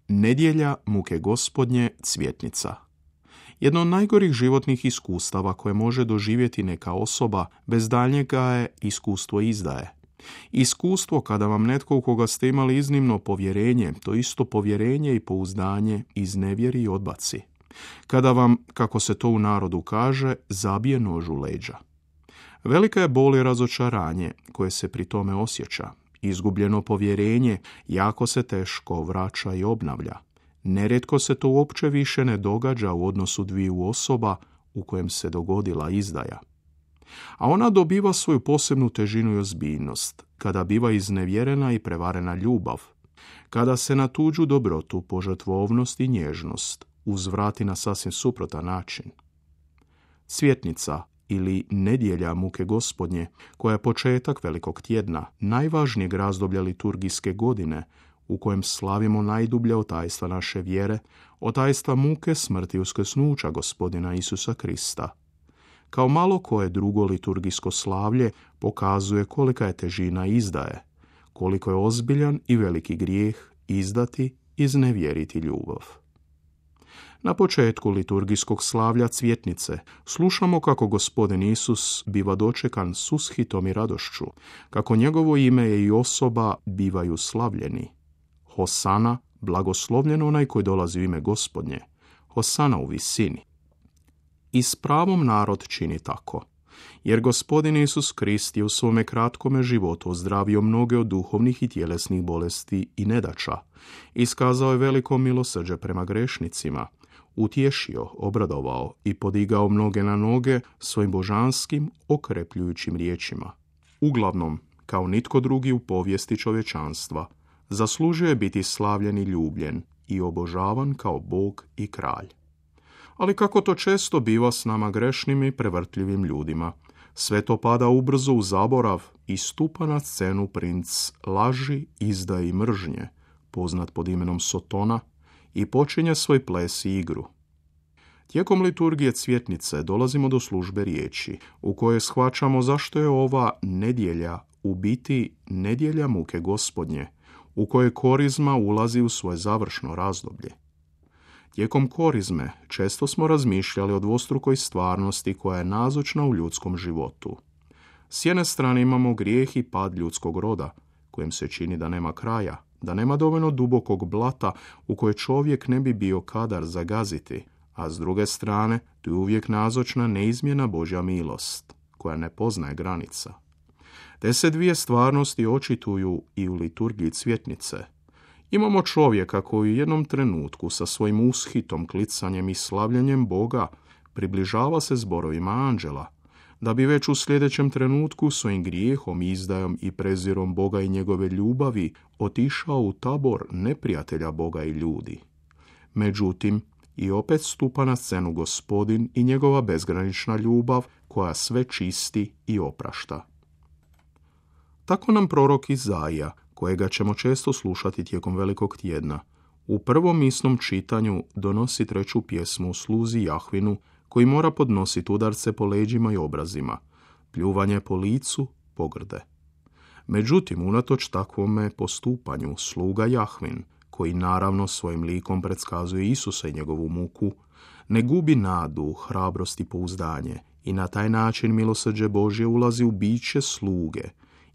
Nedjelja muke Gospodnje, cvjetnica. Jedno od najgorih životnih iskustava koje može doživjeti neka osoba bez daljnjega je iskustvo izdaje. Iskustvo kada vam netko u koga ste imali iznimno povjerenje, to isto povjerenje i pouzdanje iznevjeri i odbaci. Kada vam, kako se to u narodu kaže, zabije nož u leđa. Velika je bol i razočaranje koje se pri tome osjeća. Izgubljeno povjerenje jako se teško vraća i obnavlja. Nerijetko se to uopće više ne događa u odnosu dviju osoba u kojem se dogodila izdaja. A ona dobiva svoju posebnu težinu i ozbiljnost kada biva iznevjerena i prevarena ljubav, kada se na tuđu dobrotu, požrtvovnost i nježnost uzvrati na sasvim suprotan način. Cvjetnica ili nedjelja muke Gospodnje, koja je početak velikog tjedna, najvažnijeg razdoblja liturgijske godine, u kojem slavimo najdublja otajstva naše vjere, otajstva muke, smrti i uskrsnuća Gospodina Isusa Krista. Kao malo koje drugo liturgijsko slavlje pokazuje kolika je težina izdaje, koliko je ozbiljan i veliki grijeh izdati, iznevjeriti ljubav. Na početku liturgijskog slavlja cvjetnice slušamo kako Gospodin Isus biva dočekan s ushitom i radošću, kako njegovo ime i osoba bivaju slavljeni. Hosana, blagoslovljen onaj koji dolazi u ime Gospodnje. Hosana u visini. I s pravom narod čini tako, jer Gospodin Isus Krist je u svome kratkome životu ozdravio mnoge od duhovnih i tjelesnih bolesti i nedaća, iskazao je veliko milosrđe prema grešnicima, utješio, obradovao i podigao mnoge na noge svojim božanskim, okrepljujućim riječima. Uglavnom, kao nitko drugi u povijesti čovječanstva, zaslužio je biti slavljen i ljubljen i obožavan kao Bog i kralj. Ali kako to često biva s nama grešnim i prevrtljivim ljudima, sve to pada ubrzo u zaborav i stupa na scenu princ laži, izdaje i mržnje, poznat pod imenom Sotona, i počinje svoj ples i igru. Tijekom liturgije cvjetnice dolazimo do službe riječi, u kojoj shvaćamo zašto je ova nedjelja u biti nedjelja muke Gospodnje, u kojoj korizma ulazi u svoje završno razdoblje. Tijekom korizme često smo razmišljali o dvostrukoj stvarnosti koja je nazočna u ljudskom životu. S jedne strane imamo grijeh i pad ljudskog roda, kojem se čini da nema kraja, da nema dovoljno dubokog blata u koje čovjek ne bi bio kadar zagaziti, a s druge strane tu je uvijek nazočna neizmjena Božja milost, koja ne poznaje granica. Te se dvije stvarnosti očituju i u liturgiji cvjetnice. Imamo čovjeka koji u jednom trenutku sa svojim ushitom, klicanjem i slavljenjem Boga približava se zborovima anđela, da bi već u sljedećem trenutku svojim grijehom, izdajom i prezirom Boga i njegove ljubavi otišao u tabor neprijatelja Boga i ljudi. Međutim, i opet stupa na scenu Gospodin i njegova bezgranična ljubav koja sve čisti i oprašta. Tako nam prorok Izaija, kojega ćemo često slušati tijekom velikog tjedna, u prvom misnom čitanju donosi treću pjesmu o sluzi Jahvinu, koji mora podnositi udarce po leđima i obrazima, pljuvanje po licu, pogrde. Međutim, unatoč takvome postupanju, sluga Jahvin, koji naravno svojim likom predskazuje Isusa i njegovu muku, ne gubi nadu, hrabrost i pouzdanje i na taj način milosrđe Božje ulazi u biće sluge,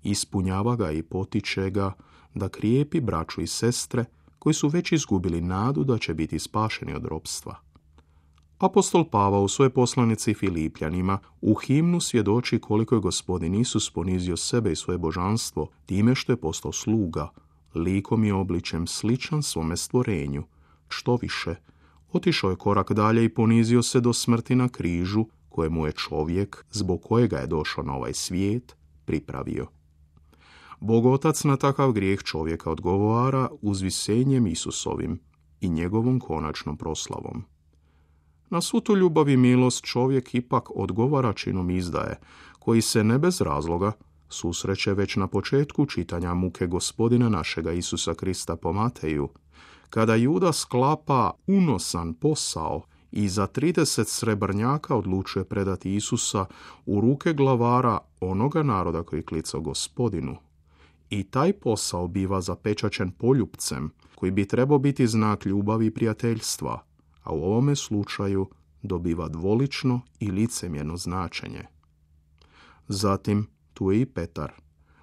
ispunjava ga i potiče ga da krijepi braću i sestre koji su već izgubili nadu da će biti spašeni od ropstva. Apostol Pavao u svojoj poslanici Filipljanima u himnu svjedoči koliko je Gospodin Isus ponizio sebe i svoje božanstvo time što je postao sluga, likom i obličjem sličan svome stvorenju. Što više, otišao je korak dalje i ponizio se do smrti na križu, kojemu je čovjek, zbog kojega je došao na ovaj svijet, pripravio. Bog Otac na takav grijeh čovjeka odgovara uzvisenjem Isusovim i njegovom konačnom proslavom. Na svu tu ljubav i milost čovjek ipak odgovara činom izdaje, koji se ne bez razloga susreće već na početku čitanja muke Gospodina našega Isusa Krista po Mateju, kada Juda sklapa unosan posao i za 30 srebrnjaka odlučuje predati Isusa u ruke glavara onoga naroda koji klicao Gospodinu. I taj posao biva zapečaćen poljupcem, koji bi trebao biti znak ljubavi i prijateljstva, a u ovome slučaju dobiva dvolično i licemjerno značenje. Zatim, tu je i Petar,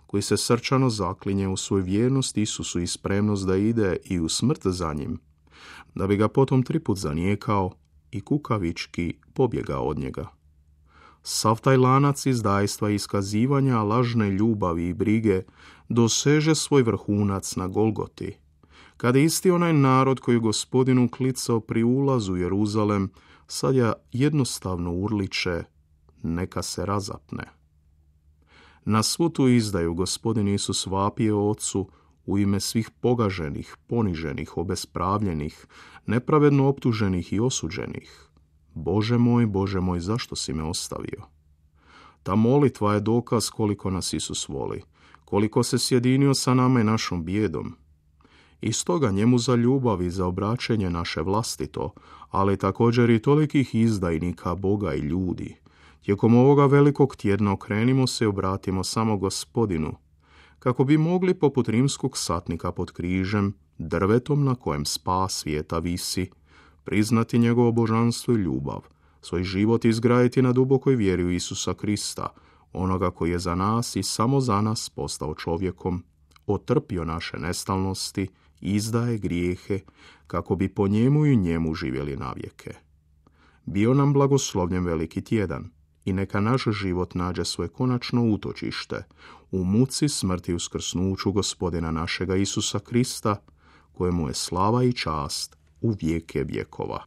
koji se srčano zaklinje u svoju vjernost Isusu i spremnost da ide i u smrt za njim, da bi ga potom 3 put zanijekao i kukavički pobjegao od njega. Sav taj lanac izdajstva i iskazivanja lažne ljubavi i brige doseže svoj vrhunac na Golgoti, kada isti onaj narod koji Gospodinu klicao pri ulazu u Jeruzalem sad jednostavno urliče: neka se razapne. Na svu tu izdaju Gospodin Isus vapije Ocu u ime svih pogaženih, poniženih, obespravljenih, nepravedno optuženih i osuđenih: Bože moj, zašto si me ostavio? Ta molitva je dokaz koliko nas Isus voli, koliko se sjedinio sa nama i našom bijedom. I stoga njemu za ljubav i za obraćenje naše vlastito, ali također i tolikih izdajnika Boga i ljudi, tijekom ovoga velikog tjedna okrenimo se i obratimo samo Gospodinu, kako bi mogli poput rimskog satnika pod križem, drvetom na kojem spas svijeta visi, priznati njegovo božanstvo i ljubav, svoj život izgraditi na dubokoj vjeri u Isusa Krista, onoga koji je za nas i samo za nas postao čovjekom, otrpio naše nestalnosti, izdaje grijehe, kako bi po njemu i njemu živjeli navijeke. Bio nam blagoslovljen veliki tjedan i neka naš život nađe svoje konačno utočište u muci, smrti i uskrsnuću Gospodina našega Isusa Krista, kojemu je slava i čast u vijeke vjekova.